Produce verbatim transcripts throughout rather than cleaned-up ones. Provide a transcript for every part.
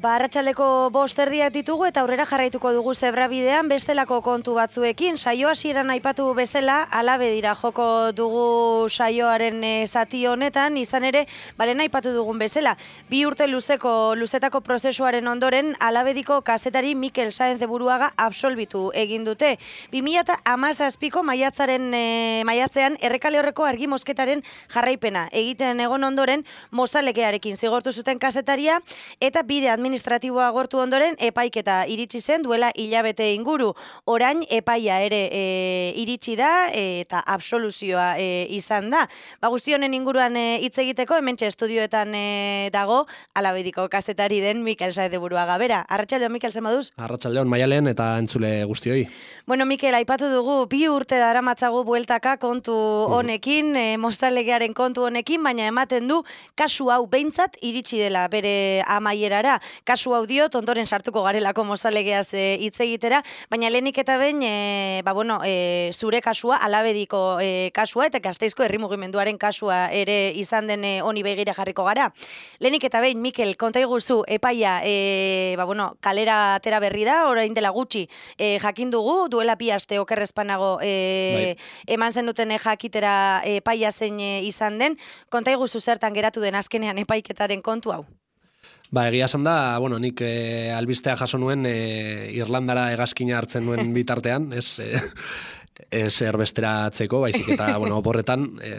Ba, arratsaldeko bost erdiak ditugu eta aurrera jarraituko dugu zebrabidean bestelako kontu batzuekin. Saio hasieran aipatu bezala, alabe dira joko dugu saioaren e, zati honetan, izan ere, balen aipatu dugun bezala. Bi urte luzeko, luzetako prozesuaren ondoren, alabediko kazetari Mikel Sáenz de Buruaga absolbitu egin dute. bi mila hamazazpiko maiatzaren e, maiatzean errekale horreko argi mosketaren jarraipena egiten egon ondoren mozalekearekin zigortu zuten kazetaria eta bide administratiboa agortu ondoren epaiketa iritsi zen duela hilabete inguru. Orain epaia ere e, iritsi da e, eta absoluzioa e, izan da. Ba, guzti honen inguruan hitz e, egiteko hementxe estudioetan e, dago alabediko kazetari den Mikel Sáenz de Buruaga. Bera, arratsaldeon Mikel, zer moduz? Arratsaldeon Maialen eta entzule guztioi. Bueno, Mikel, aipatu dugu bi urte daramatzagu bueltaka kontu honekin, e, mozalegearen kontu honekin, baina ematen du kasu hau behintzat iritsi dela bere amaierara. Kasu hau diot, ondoren sartuko garelako mozalegeaz hitz e, egitera, baina lehenik eta behin, e, ba, bueno, e, zure kasua, alabediko e, kasua, eta Gasteizko herri mugimenduaren kasua ere izan den e, honi begira jarriko gara. Lehenik eta behin, Mikel, konta iguzu, epaia, e, ba, bueno, kalera atera berri da, orain dela gutxi e, jakin dugu, duela bi aste okerrezpanago e, eman zenuten jakitera epaia zein e, izan den, konta iguzu zertan geratu den azkenean epaiketaren kontu hau. Ba, egia esan da, bueno, nik e, albistea jaso nuen e, Irlandara hegazkina hartzen nuen bitartean, ez, e, ez erbesteratzeko, baizik eta, bueno, oporretan, e,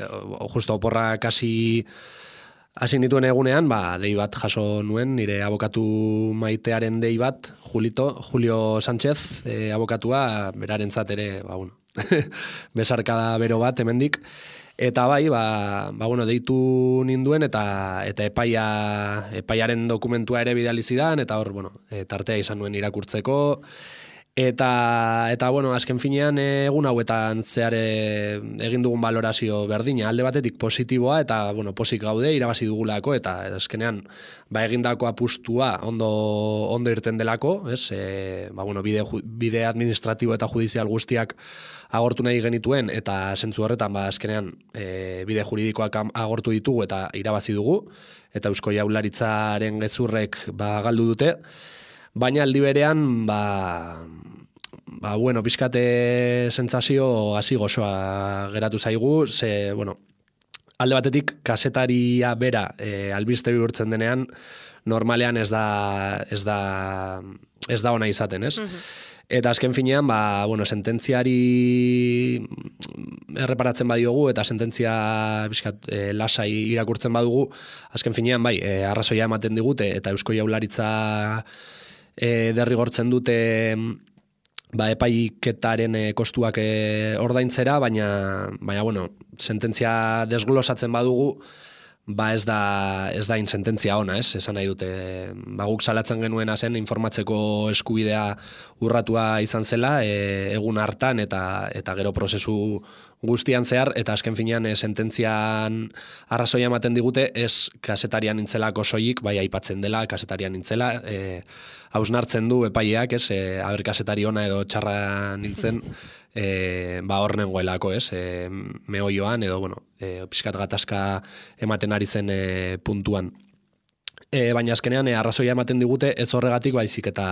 justo oporra kasi hasi nituen egunean, ba, dei bat jaso nuen, nire abokatu maitearen dei bat, Julito, Julio Sánchez, e, abokatua, berarentzat ere, ba, bueno, besarkada bero bat, hemendik. Eta bai, ba, ba bueno, deitu ninduen eta eta epaia epaiaren dokumentua ere bidali zidan eta hor, bueno, e, tartea izan nuen irakurtzeko eta eta bueno, azken finean egun hauetan zehar egin dugun balorazio berdina, alde batetik positiboa eta bueno, posik gaude irabazi dugulako eta azkenean ba egindako apustua ondo ondo irten delako, ez? E, ba bueno, bide bide administratibo eta judizial guztiak agortu nahi genituen eta zentzu horretan ba azkenean e, bide juridikoak agortu ditugu eta irabazi dugu eta Eusko Jaurlaritzaren gezurrek ba galdu dute, baina aldi berean ba ba bueno, pizkate sentsazio hasi gozoa geratu zaigu, ze bueno, alde batetik kazetaria bera e, albiste bihurtzen denean normalean ez da ez da ez da ona izaten, ez? Mm-hmm. Eta azken finean, ba, bueno, sententziari erreparatzen badiogu eta sententzia bizkat, e, lasai irakurtzen badugu, azken finean, bai, e, arrazoia ematen digute eta Eusko Jaurlaritza e, derrigortzen dute ba, epaiketaren e, kostuak e, ordaintzera, baina, baina, bueno, sententzia desglosatzen badugu, ba ez da ez da in sententzia ona, ez? Esan nahi dute, ba guk salatzen genuena zen informatzeko eskubidea urratua izan zela, e, egun hartan eta eta gero prozesu guztian zehar eta azken finean e, sententzian arrazoia ematen digute ez kazetarian nintzelako soilik, bai aipatzen dela kazetarian nintzela, e, hausnartzen du epaileak, ez? E, aber kazetari ona edo txarra nintzen. E, ba hor nengoelako, ez, e, mehoioan edo, bueno, e, pixkat gatazka ematen ari zen e, puntuan. E, baina azkenean e, arrazoia ematen digute ez horregatik baizik eta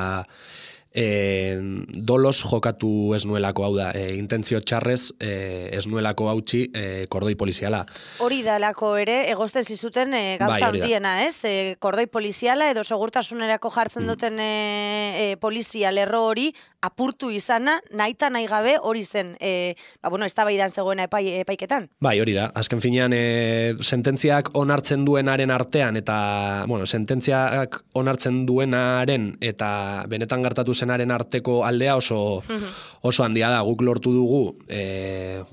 e, dolos jokatu ez nuelako, hau da, e, intentzio txarrez e, ez nuelako hautsi e, kordoi poliziala. Hori dalako ere, egozten zizuten e, gauza bai, handiena, ez? E, kordoi poliziala edo segurtasunerako jartzen duten e, e, polizia lerro hori apurtu izana, nahita nahi gabe hori zen, e, ba, bueno, eztabaidan zegoena epai, epaiketan. Bai, hori da. Azken finean, e, sententziak onartzen duenaren artean, eta, bueno, sententziak onartzen duenaren eta benetan gertatu zenaren arteko aldea oso, oso handia da. Guk lortu dugu, e,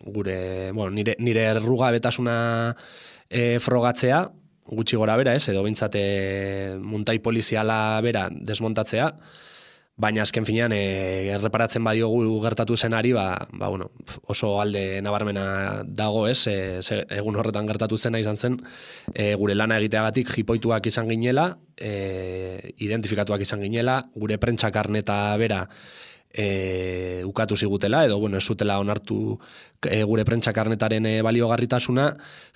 gure, bueno, nire, nire errugabetasuna e, frogatzea, gutxi gora bera, ez, edo bintzate muntai poliziala bera desmontatzea, baina azken finean e, erreparatzen badiogu gertatu zenari, ba, ba, bueno, oso alde nabarmena dago, ez, e, ze, egun horretan gertatu zena izan zen, e, gure lana egiteagatik jipoituak izan ginela, e, identifikatuak izan ginela, gure prentsakarneta bera e, ukatu zigutela, edo bueno, ez zutela onartu e, gure prentsakarnetaren e, baliogarritasuna,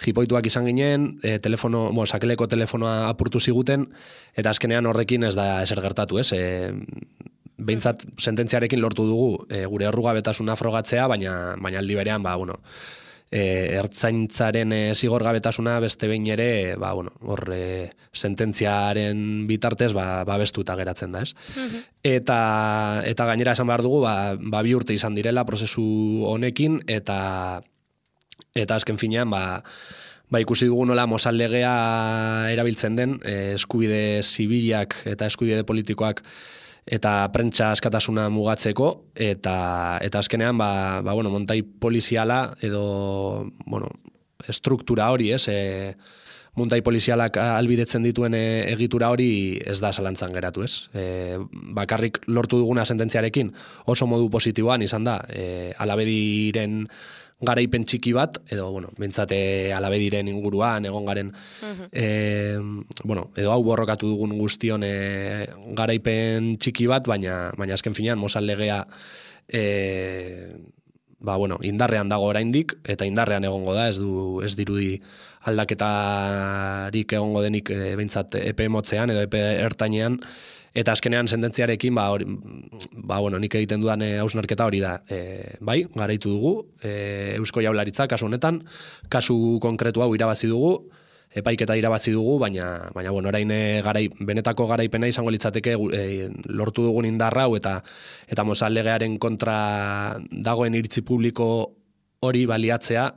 jipoituak izan ginen, e, telefono, bueno, sakeleko telefonoa apurtu ziguten, eta azkenean horrekin ez da ezer gertatu, ez? E, behintzat sententziarekin lortu dugu e, gure errugabetasuna frogatzea, baina, baina aldi berean, ba, bueno, E, ertzaintzaren e, zigorgabetasuna beste behin ere, ba, bueno, hor e, sententziaren bitartez ba, babestuta geratzen da, ez? Mm-hmm. Eta, eta gainera esan behar dugu, ba, ba bi urte izan direla prozesu honekin, eta eta azken finean, ba, ba ikusi dugu nola Mozal legea erabiltzen den, e, eskubide zibilak eta eskubide politikoak eta prentsa askatasuna mugatzeko, eta eta azkenean ba, ba bueno, montai poliziala edo bueno, struktura hori, ez, e, montai polizialak albidetzen dituen e, egitura hori ez da zalantzan geratu, ez. E, bakarrik lortu duguna sententziarekin oso modu positiboan izan da, e, Alabediren garaipen txiki bat, edo, bueno, bentsate Alabediren inguruan, egon garen, uh-huh. e, bueno, edo hau borrokatu dugun guztion e, garaipen txiki bat, baina, baina azken finean, Mozal legea, e, ba, bueno, indarrean dago oraindik, eta indarrean egongo da, ez du, ez dirudi aldaketarik egongo denik e, bentsat epe motzean, edo epe ertainean, eta azkenean sententziarekin, ba, hori, ba, bueno, nik egiten dudan e, hausnarketa hori da. E, bai, garaitu dugu, e, Eusko Jaurlaritza, kasu honetan, kasu konkretu hau irabazi dugu, epaiketa irabazi dugu, baina, baina bueno, orain garai, benetako garaipena izango litzateke e, lortu dugun indarra hau, eta, eta Mozal legearen kontra dagoen iritzi publiko hori baliatzea,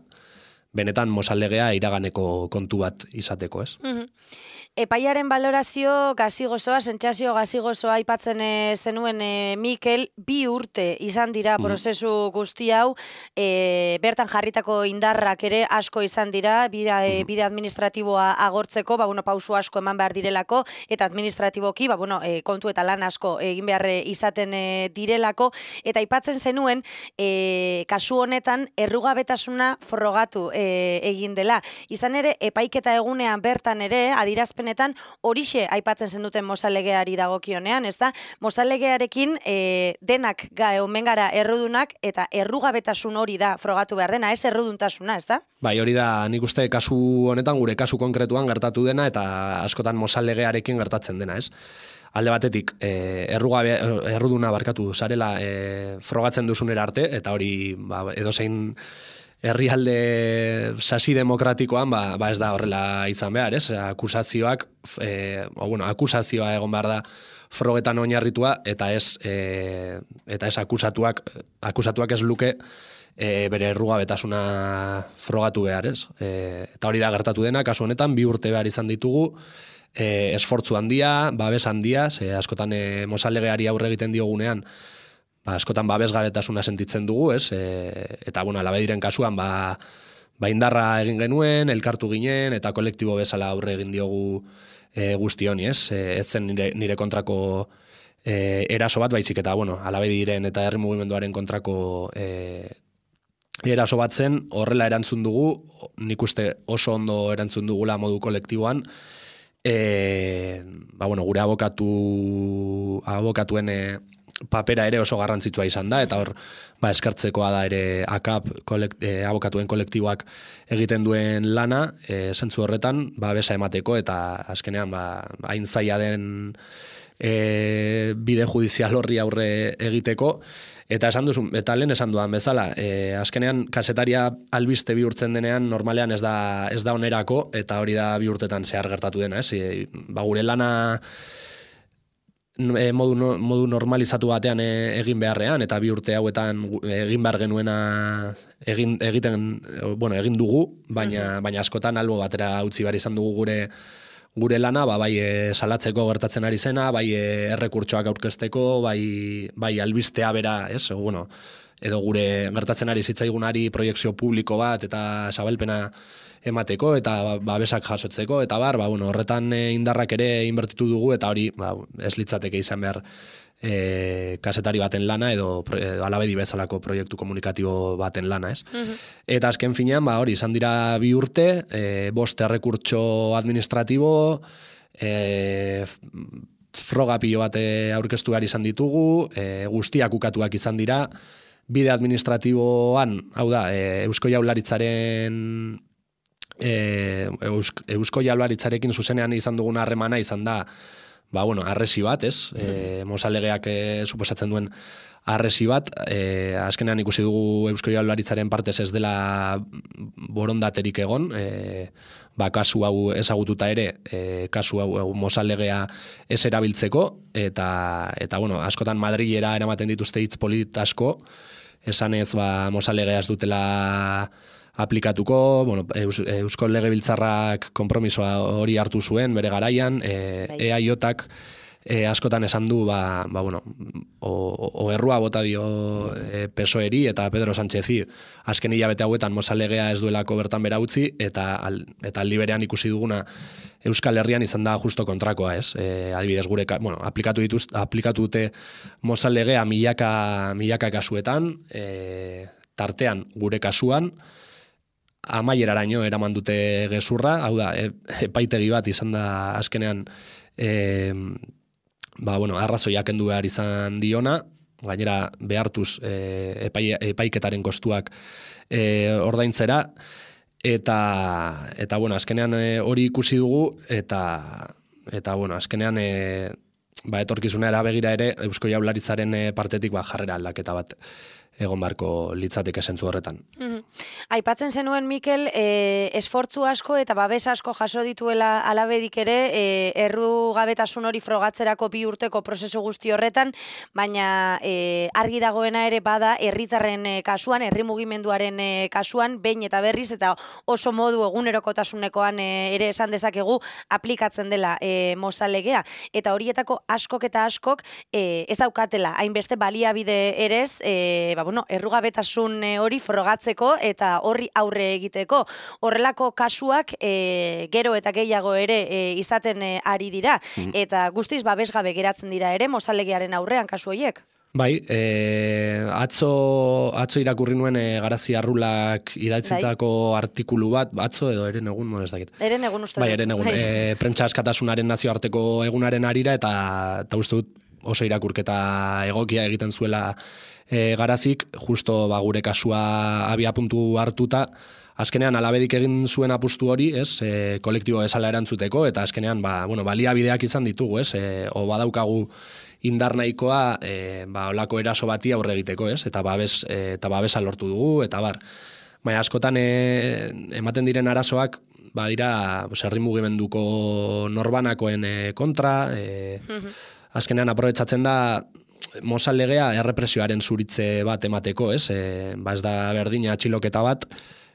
benetan Mozal legea iraganeko kontu bat izateko, ez? Mm-hmm. Epaiaren balorazio gazigozoa, sentsazio gazigozoa aipatzen e, zenuen e, Mikel, bi urte izan dira prozesu guzti hau, e, bertan jarritako indarrak ere asko izan dira, bide, e, bide administratiboa agortzeko, ba, bueno, pausu asko eman behar direlako, eta administratiboki, ba, bueno, e, kontu eta lan asko egin behar izaten e, direlako, eta aipatzen zenuen, e, kasu honetan, errugabetasuna frogatu e, egin dela. Izan ere, epaiketa egunean bertan ere, adirazpen horixe aipatzen zen duten Mozal legeari dagokionean, ez da? Mozal legearekin e, denak ga, omen gara errudunak, eta errugabetasun hori da frogatu behar dena, ez erruduntasuna, ez da? Bai, hori da, nik uste kasu honetan, gure kasu konkretuan gertatu dena, eta askotan Mozal legearekin gertatzen dena, ez? Alde batetik, e, errugabe, erruduna barkatu zarela e, frogatzen duzunera arte, eta hori ba, edozein herrialde sasi demokratikoan ba, ba ez da horrela izan behar, ez? Akusazioak, e, o, bueno, akusazioa egon behar da frogetan oinarritua, eta ez, e, eta ez akusatuak, akusatuak ez luke e, bere errugabetasuna frogatu behar, ez? E, eta hori da gertatu dena, kasu honetan, bi urte behar izan ditugu, e, esfortzu handia, babes handia, ze askotan e, Mozal legeari aurre egiten diogunean, ba, askotan babesgabetasuna sentitzen dugu, ez? E, eta, bueno, Alabediren kasuan, ba, ba indarra egin genuen, elkartu ginen, eta kolektibo bezala aurre egin diogu e, guzti honi, ez? E, ez zen nire, nire kontrako e, eraso bat, baizik eta, bueno, Alabediren eta herri mugimenduaren kontrako e, eraso bat zen, horrela erantzun dugu, nik uste oso ondo erantzun dugula modu kolektiboan, e, ba, bueno, gure abokatu, abokatuen e, papera ere oso garrantzitsua izan da, eta hor ba, eskartzekoa da ere akap kolekt, e, abokatuen kolektiboak egiten duen lana, e, zentzu horretan, ba, besa emateko, eta azkenean, ba, hain zaila den e, bide judizial horri aurre egiteko, eta esan duzu, eta lehen esan duan bezala, e, azkenean kasetaria albiste bihurtzen denean, normalean ez da, ez da onerako, eta hori da bi urtetan zehar gertatu dena, ez? E, ba, gure lana modu, modu normalizatu batean egin beharrean, eta bi urte hauetan egin behar genuena egin, egiten, bueno, egin dugu, baina, uh-huh. baina askotan albo batera utzi behar izan dugu gure gure lana, ba, bai e, salatzeko gertatzen ari zena, bai e, errekurtsoak aurkezteko, bai, bai albistea bera, ez? O, bueno, edo gure gertatzen ari zitzaigunari proiekzio publiko bat eta zabalpena emateko eta babesak jasotzeko, eta bar, ba, bueno, horretan e, indarrak ere inbertitu dugu, eta hori ba, ez litzateke izan behar e, kasetari baten lana edo, edo Alabedi bezalako proiektu komunikatibo baten lana, ez? Uh-huh. Eta azken finean, ba, hori, izan dira bi urte, e, bost errekurtso administratibo, e, froga pilo bat aurkeztu behar izan ditugu, e, guztiak ukatuak izan dira, bide administratiboan, hau da, e, Eusko Jaurlaritzaren e, Eusk, Eusko Jaurlaritzarekin zuzenean izan duguna harremana izan da, ba, bueno, arresi bat, ez? E, Mozalegeak e, suposatzen duen arresi bat, e, azkenean ikusi dugu Eusko Jaurlaritzaren partez ez dela borondaterik egon, e, ba, kasu hau ezagututa ere, e, kasu hau, hau Mozalegea ez erabiltzeko, eta, eta bueno, askotan Madrilera eramaten dituzte hitz polit asko, esanez, ba, Mozalegea ez dutela aplikatuko, bueno, Eus, Eusko Legebiltzarrak konpromisoa hori hartu zuen bere garaian, e, E A J-ak e, askotan esan du, ba, ba bueno, o, o errua bota dio e, P S O E-ri eta Pedro Sánchezi, azken hilabete hauetan Mozalegea ez duelako bertan bera utzi, eta, al, eta aldi berean ikusi duguna Euskal Herrian izan da justo kontrakoa, ez? E, adibidez gure, bueno, aplikatu dituz, aplikatu dute Mozalegea milaka, milaka kasuetan, e, tartean gure kasuan, amaieraraino eraman dute gezurra, hau da, e, epaitegi bat izan da azkenean e, ba, bueno, arrazoiak kendu behar izan diona, gainera behartuz e, epai, epaiketaren kostuak e, ordaintzera, eta, eta bueno, azkenean e, hori ikusi dugu, eta, eta bueno, azkenean e, ba, etorkizunera begira ere, Eusko Jaurlaritzaren e, partetik ba, jarrera aldaketa bat egon barko litzateke zentzu horretan. Mm-hmm. Aipatzen zenuen, Mikel, e, esfortzu asko eta babes asko jaso dituela alabedik ere, e, errugabetasun hori frogatzerako bi urteko prozesu guzti horretan, baina e, argi dagoena ere bada herritarren e, kasuan, herri mugimenduaren e, kasuan, behin eta berriz, eta oso modu egunerokotasunekoan e, ere esan dezakegu aplikatzen dela e, Mozalegea. Eta horietako askok eta askok e, ez daukatela, hainbeste baliabide erez, e, ba, bueno, errugabetasun hori frogatzeko eta horri aurre egiteko. Horrelako kasuak e, gero eta gehiago ere e, izaten e, ari dira, mm. eta guztiz babesgabe geratzen dira ere Mozalegearen aurrean kasu horiek. Bai, e, atzo, atzo irakurri nuen e, Garazi Arrulak idatzitako artikulu bat, atzo edo eren egun, no ez dakit. Eren egun uste bai, eren egun, e, prentsa askatasunaren nazioarteko egunaren arira, eta, eta uste dut oso irakurketa egokia egiten zuela E, Garazik, justo ba, gure kasua abia puntu hartuta, azkenean alabedik egin zuen apustu hori, ez, e, kolektibo bezala erantzuteko, eta azkenean ba, bueno, baliabideak izan ditugu, ez, e, o badaukagu indar nahikoa e, ba, olako eraso bati aurre egiteko, ez, eta babes, e, eta babesa lortu dugu, eta bar. Baina askotan e, ematen diren arazoak, ba, dira, herri mugimenduko norbanakoen e, kontra, e, azkenean aprobetxatzen da, Mozalegea errepresioaren zuritze bat emateko, ez? E, ba ez da berdina atxiloketa bat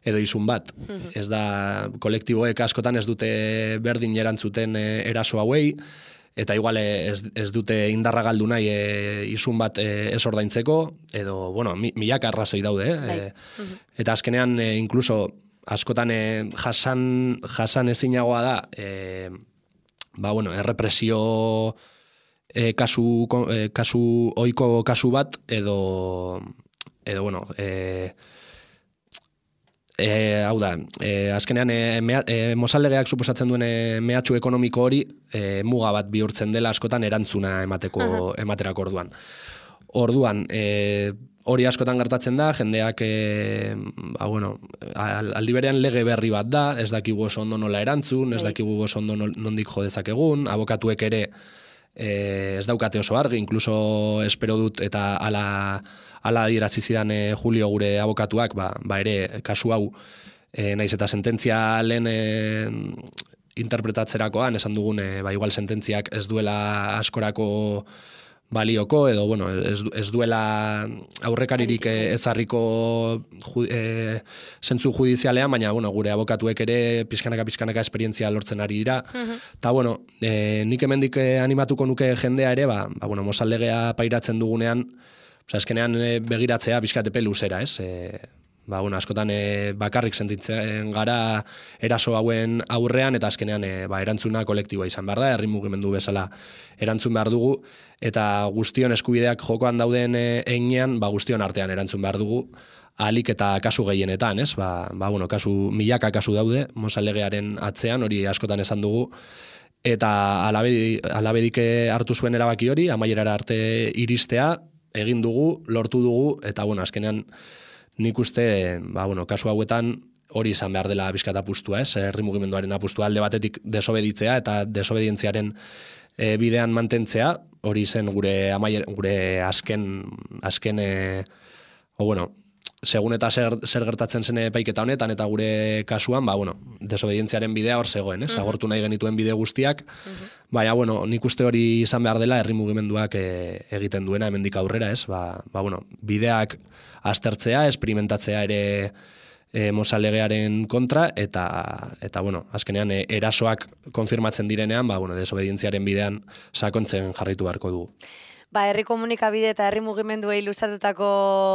edo izun bat. Mm-hmm. Ez da kolektiboek askotan ez dute berdin erantzuten e, eraso hauei, eta igual ez, ez dute indarra galdu nahi e, izun bat e, ez ordaintzeko, edo, bueno, mi, milaka arrazoi daude, eh? E, mm-hmm. Eta azkenean, e, inkluso, askotan e, jasan, jasan ezinagoa da, e, ba, bueno, errepresio E, kasu, e, kasu, oiko kasu bat, edo, edo bueno, e, e, hau da, e, azkenean, e, mea, e, Mozalegeak suposatzen duen e, mehatxu ekonomiko hori, e, muga bat bihurtzen dela askotan erantzuna emateko, uh-huh. ematerako orduan. Orduan, e, hori askotan gertatzen da, jendeak, e, ba, bueno, aldi berean lege berri bat da, ez dakigu oso ondo nola erantzun, ez dakigu oso ondo nondik jo dezakegun, abokatuek ere, E, ez daukate oso argi, incluso espero dut eta ala, ala adierazi zidan e, Julio gure abokatuak, ba, ba ere kasu hau e, naiz eta sententzia lehen e, interpretatzerakoan esan dugun, e, ba igual sententziak ez duela askorako balioko, edo, bueno, ez, ez duela aurrekaririk ezarriko ju, e, zentzu judizialean, baina, bueno, gure abokatuek ere pizkanaka-pizkanaka esperientzia lortzen ari dira. Eta, uh-huh. bueno, e, nik hemendik animatuko nuke jendea ere, ba, ba bueno, Mozalegea pairatzen dugunean, oza, eskenean begiratzea pizkatepe luzera, ez? E, ba, bueno, askotan e, bakarrik sentitzen gara eraso hauen aurrean, eta azkenean e, ba, erantzuna kolektiboa izan behar da, herri mugimendu bezala erantzun behar dugu, eta guztion eskubideak jokoan dauden e, einean, ba, guztion artean erantzun behar dugu, ahalik eta kasu gehienetan, ez? Ba, ba, bueno, kasu, milaka kasu daude, Mozalegearen atzean, hori askotan esan dugu, eta alabedik, alabedik hartu zuen erabaki hori, amaierara arte iristea, egin dugu, lortu dugu, eta bueno, azkenean nik uste, ba, bueno, kasu hauetan hori izan behar dela bizkat apustua, ez? Herri mugimenduaren apustua alde batetik desobeditzea eta desobedientziaren e, bidean mantentzea, hori zen gure amaier, gure azken, azken e, o bueno, segun eta zer, zer gertatzen zen epaiketa honetan, eta gure kasuan, ba, bueno, desobedientziaren bidea hor zegoen, ez? Agortu nahi genituen bide guztiak, baina, bueno, nik uste hori izan behar dela herri mugimenduak e, egiten duena hemendik aurrera, ez? Ba, ba, bueno, bideak aztertzea, experimentatzea ere e, Mozal-legearen kontra, eta, eta bueno, azkenean e, erasoak konfirmatzen direnean, ba, bueno, desobedientziaren bidean sakontzen jarraitu beharko dugu. Ba, herri komunikabide eta herri mugimenduei luzatutako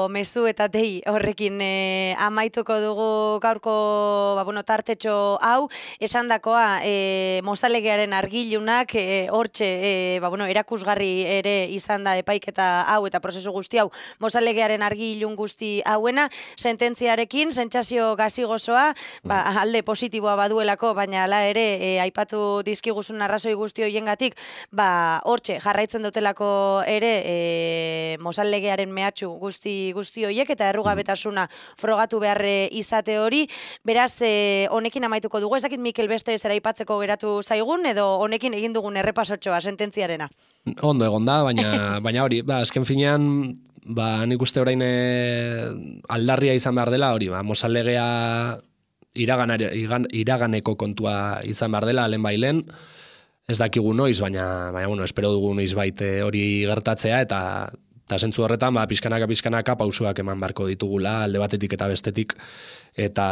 mezu eta dei horrekin e, amaituko dugu gaurko ba, bueno, tartetxo hau, esandakoa e, Mozal-legearen argilunak e, hortxe e, ba, bueno, erakusgarri ere izan da epaiketa hau eta prozesu guzti hau Mozal-legearen argilun guzti hauena, sententziarekin, sentsazio gazigozoa, ba, alde positiboa baduelako, baina hala ere e, aipatu dizkiguzun arrazoi guzti hoiengatik, ba, hortxe jarraitzen dutelako ere e, Mozal-legearen mehatxu guzti guzti hoiek eta errugabetasuna frogatu behar izate hori. Beraz, e, honekin amaituko dugu. Ez dakit Mikel beste zera aipatzeko geratu zaigun edo honekin egin dugun errepasotxoa sententziarena. Ondo egon da, baina, baina hori, ba, azken finean, ba, nik uste orain e, aldarria izan behar dela, hori, ba, Mozal-legea iraganare, iraganeko kontua izan behar dela, lehen bailen, ez dakigu noiz, baina, baina bueno, espero dugu noiz baite hori gertatzea, eta eta zentzu horretan, ba, pizkanaka, pizkanaka pausuak eman beharko ditugula, alde batetik eta bestetik, eta,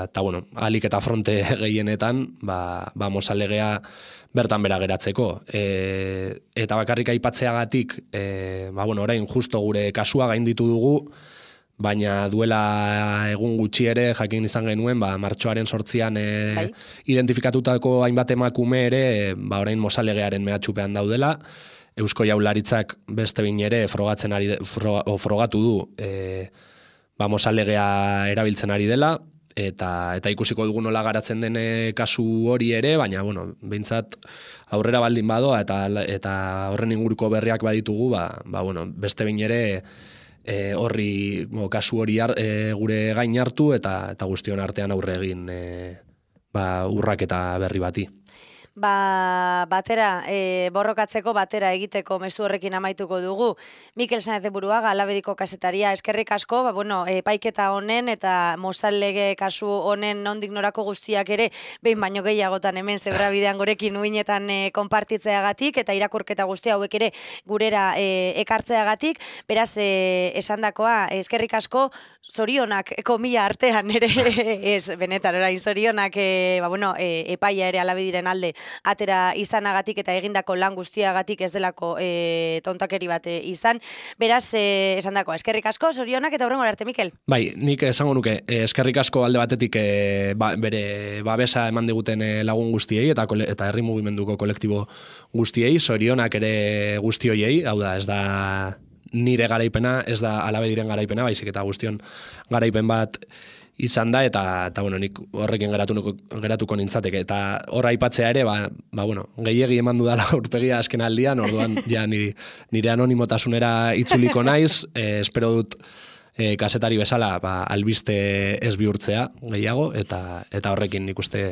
eta bueno, alik eta fronte gehienetan, ba, ba Mozal-legea bertan bera geratzeko. E, eta bakarrik aipatzeagatik, e, ba, bueno, orain justo gure kasua gainditu dugu, baina duela egun gutxi ere jakin izan genuen, ba, martxoaren sortzian e, bai. Identifikatutako hainbat emakume ere, ba, orain Mozal-legearen mehatxupean daudela, Eusko Jaurlaritzak beste behin ere frogatzen ari, froga, o, frogatu du e, ba, Mozal-legea erabiltzen ari dela, eta eta ikusiko dugu nola garatzen den kasu hori ere, baina, bueno, behintzat aurrera baldin badoa, eta, eta horren inguruko berriak baditugu, ba, ba, bueno, beste behin ere, E, horri mo, kasu hori ar, e, gure gain hartu eta eta guztion artean aurre egin e, ba, urraketa berri bati. Ba, batera, e, borrokatzeko batera egiteko mezu horrekin amaituko dugu. Mikel Sáenz de Buruaga, Alabediko kazetaria, eskerrik asko, ba, bueno, epaiketa honen eta Mozal-lege kasu honen nondik norako guztiak ere, behin baino gehiagotan hemen Zebrabidean gurekin uinetan e, konpartitzeagatik, eta irakurketa guzti hauek ere gurera e, ekartzeagatik, beraz, e, esandakoa, eskerrik asko, zorionak, komila artean ere, ez, benetan, orain, zorionak, e, ba, bueno, e, epaia ere Alabediren alde atera izanagatik eta egindako lan guztiagatik ez delako e, tontakeri bat e, izan. Beraz, e, esan dako, eskerrik asko, zorionak eta hurrengo arte, Mikel. Bai, nik esango nuke, eskerrik asko alde batetik e, ba, bere babesa eman diguten lagun guztiei eta, kole, eta herri mugimenduko kolektibo guztiei, zorionak ere guzti hoiei, hau da, ez da nire garaipena, ez da Alabediren garaipena, baizik eta guztion garaipen bat izan da, eta, eta bueno, nik horrekin geratuko, geratuko nintzateke. Eta hor aipatzea ere, ba, ba, bueno, gehiegi eman dudala aurpegia azken aldian, orduan ja nire, nire anonimotasunera itzuliko naiz, e, espero dut e, kazetari bezala ba, albiste ez bihurtzea gehiago, eta, eta horrekin nik uste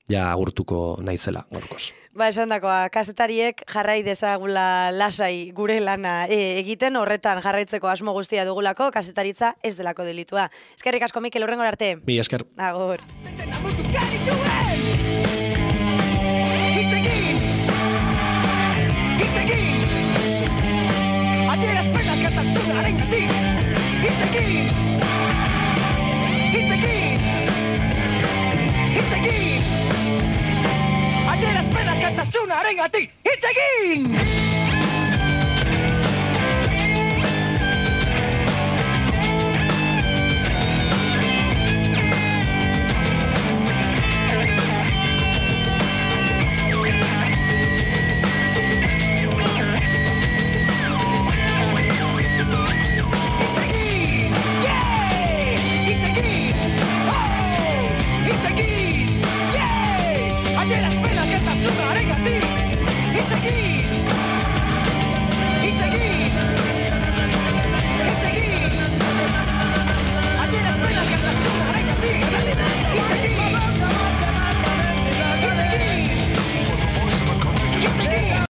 ja agurtuko naizela gorkoz. Ba, esan dakoa, kazetariek jarrai dezagula lasai gure lana e, egiten, horretan jarraitzeko asmo guztia dugulako, kazetaritza ez delako delitua. Eskerrik asko, Mikel, hurrengora arte. Mi esker. Agur. Arengatik, hitz egin! Ayer las penas que Tonight